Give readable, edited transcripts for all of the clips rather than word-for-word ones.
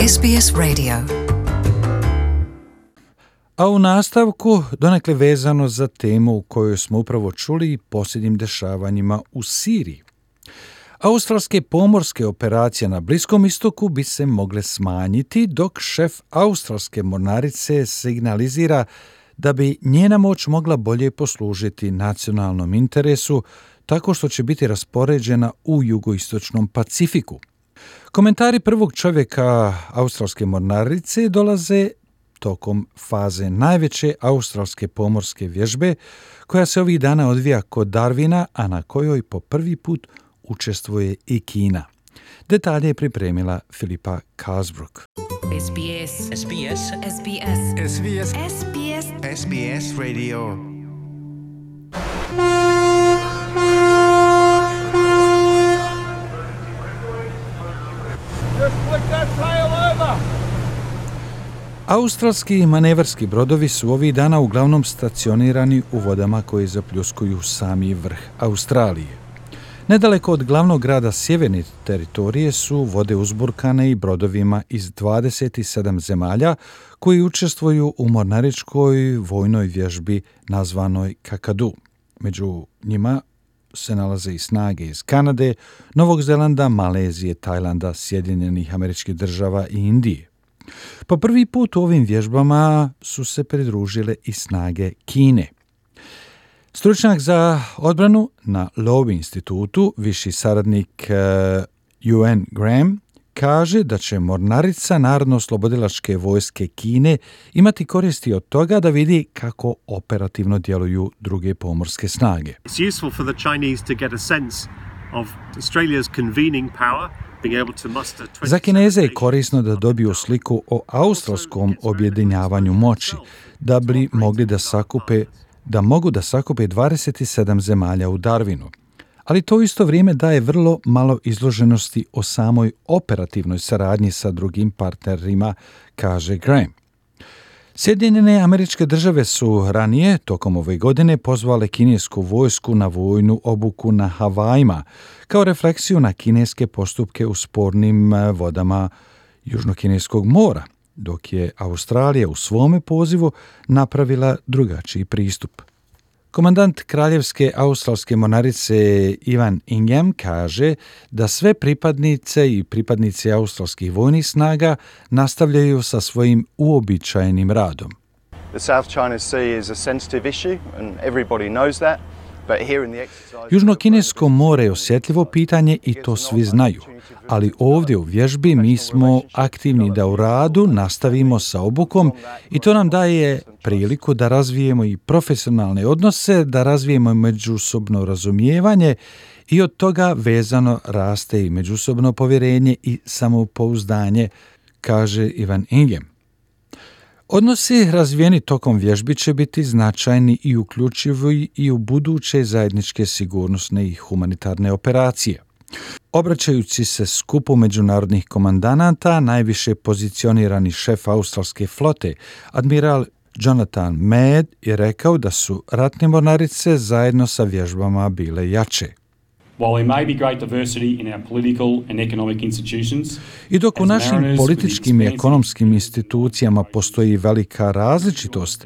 SBS Radio. A u nastavku, donekle vezano za temu u kojoj smo upravo čuli posljednjim dešavanjima u Siriji. Australske pomorske operacije na Bliskom istoku bi se mogle smanjiti, dok šef australske mornarice signalizira da bi njena moć mogla bolje poslužiti nacionalnom interesu tako što će biti raspoređena u jugoistočnom Pacifiku. Komentari prvog čovjeka australske mornarice dolaze tokom faze najveće australske pomorske vježbe koja se ovih dana odvija kod Darwina, a na kojoj po prvi put učestvuje i Kina. Detalje je pripremila Filipa Kazbruk. SBS. SBS. SBS. SBS. SBS. SBS Radio. Just flick that tail over. Australski manevarski brodovi su ovih dana uglavnom stacionirani u vodama koje zapljuskuju sami vrh Australije. Nedaleko od glavnog grada sjeverne teritorije su vode uzburkane i brodovima iz 27 zemalja koji učestvuju u mornaričkoj vojnoj vježbi nazvanoj Kakadu. Među njima se nalaze i snage iz Kanade, Novog Zelanda, Malezije, Tajlanda, Sjedinjenih Američkih Država i Indije. Po prvi put u ovim vježbama su se pridružile i snage Kine. Stručnjak za odbranu na Lowy institutu, viši saradnik UN Graham, kaže da će mornarica Narodno-oslobodilačke vojske Kine imati koristi od toga da vidi kako operativno djeluju druge pomorske snage. It's useful for the Chinese to get a sense of Australia's convening power. Za Kineze je korisno da dobiju sliku o australskom objedinjavanju moći, da bi mogli da mogu da sakupe 27 zemalja u Darwinu. Ali to isto vrijeme daje vrlo malo izloženosti o samoj operativnoj saradnji sa drugim partnerima, kaže Graham. Sjedinjene Američke Države su ranije, tokom ove godine, pozvale kinesku vojsku na vojnu obuku na Havajima, kao refleksiju na kineske postupke u spornim vodama Južnokineskog mora, dok je Australija u svome pozivu napravila drugačiji pristup. Komandant Kraljevske australske mornarice Ivan Ingham kaže da sve pripadnice i pripadnici australskih vojnih snaga nastavljaju sa svojim uobičajenim radom. The South China Sea is a sensitive issue and everybody knows that. Južno-kinesko more je osjetljivo pitanje i to svi znaju, ali ovdje u vježbi mi smo aktivni da u radu nastavimo sa obukom i to nam daje priliku da razvijemo i profesionalne odnose, da razvijemo međusobno razumijevanje i od toga vezano raste i međusobno povjerenje i samopouzdanje, kaže Ivan Ingham. Odnosi razvijeni tokom vježbi će biti značajni i uključivi i u buduće zajedničke sigurnosne i humanitarne operacije. Obraćajući se skupu međunarodnih komandanata, najviše pozicionirani šef australske flote, admiral Jonathan Mead, je rekao da su ratne mornarice zajedno sa vježbama bile jače. I dok u našim političkim i ekonomskim institucijama postoji velika različitost,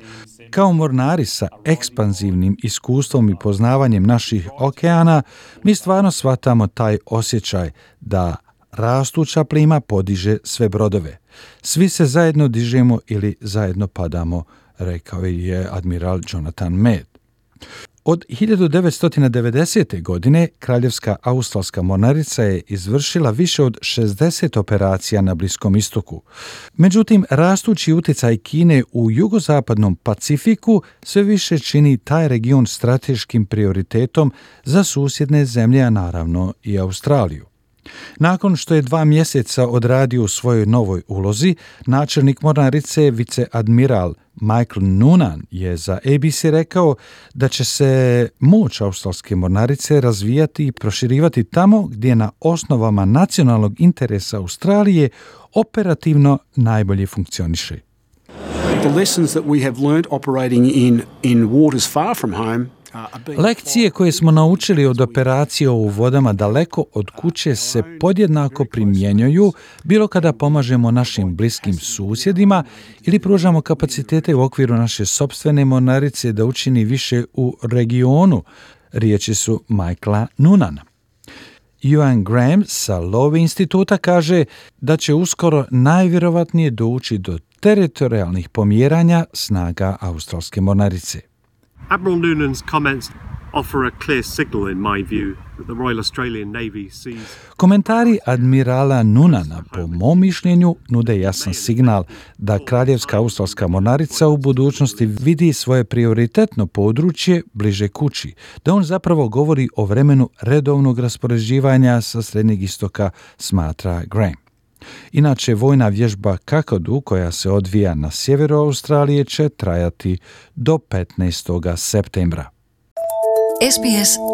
kao mornari sa ekspanzivnim iskustvom i poznavanjem naših okeana, mi stvarno shvatamo taj osjećaj da rastuća plima podiže sve brodove. Svi se zajedno dižemo ili zajedno padamo, rekao je admiral Jonathan Mead. Od 1990. godine Kraljevska australska mornarica je izvršila više od 60 operacija na Bliskom istoku. Međutim, rastući utjecaj Kine u jugozapadnom Pacifiku sve više čini taj region strateškim prioritetom za susjedne zemlje, a naravno i Australiju. Nakon što je 2 mjeseca odradio u svojoj novoj ulozi, načelnik mornarice viceadmiral Michael Noonan je za ABC rekao da će se moć australske mornarice razvijati i proširivati tamo gdje na osnovama nacionalnog interesa Australije operativno najbolje funkcioniše. The lessons that we have learnt operating in waters far from home Lekcije koje smo naučili od operacije u vodama daleko od kuće se podjednako primjenjuju bilo kada pomažemo našim bliskim susjedima ili pružamo kapacitete u okviru naše sopstvene mornarice da učini više u regionu, riječi su Michaela Noonana. Ewan Graham sa Lowy instituta kaže da će uskoro najvjerovatnije doći do teritorijalnih pomjeranja snaga australske mornarice. Admiral Noonan's comments offer a clear signal, in my view, that the Royal Australian Navy sees... Komentari admirala Noonana, po mom mišljenju, nude jasan signal da Kraljevska australska mornarica u budućnosti vidi svoje prioritetno područje bliže kući, da on zapravo govori o vremenu redovnog raspoređivanja sa Srednjeg istoka, smatra Graham. Inače, vojna vježba Kakadu, koja se odvija na sjeveru Australije, će trajati do 15. septembra. sbs.com.au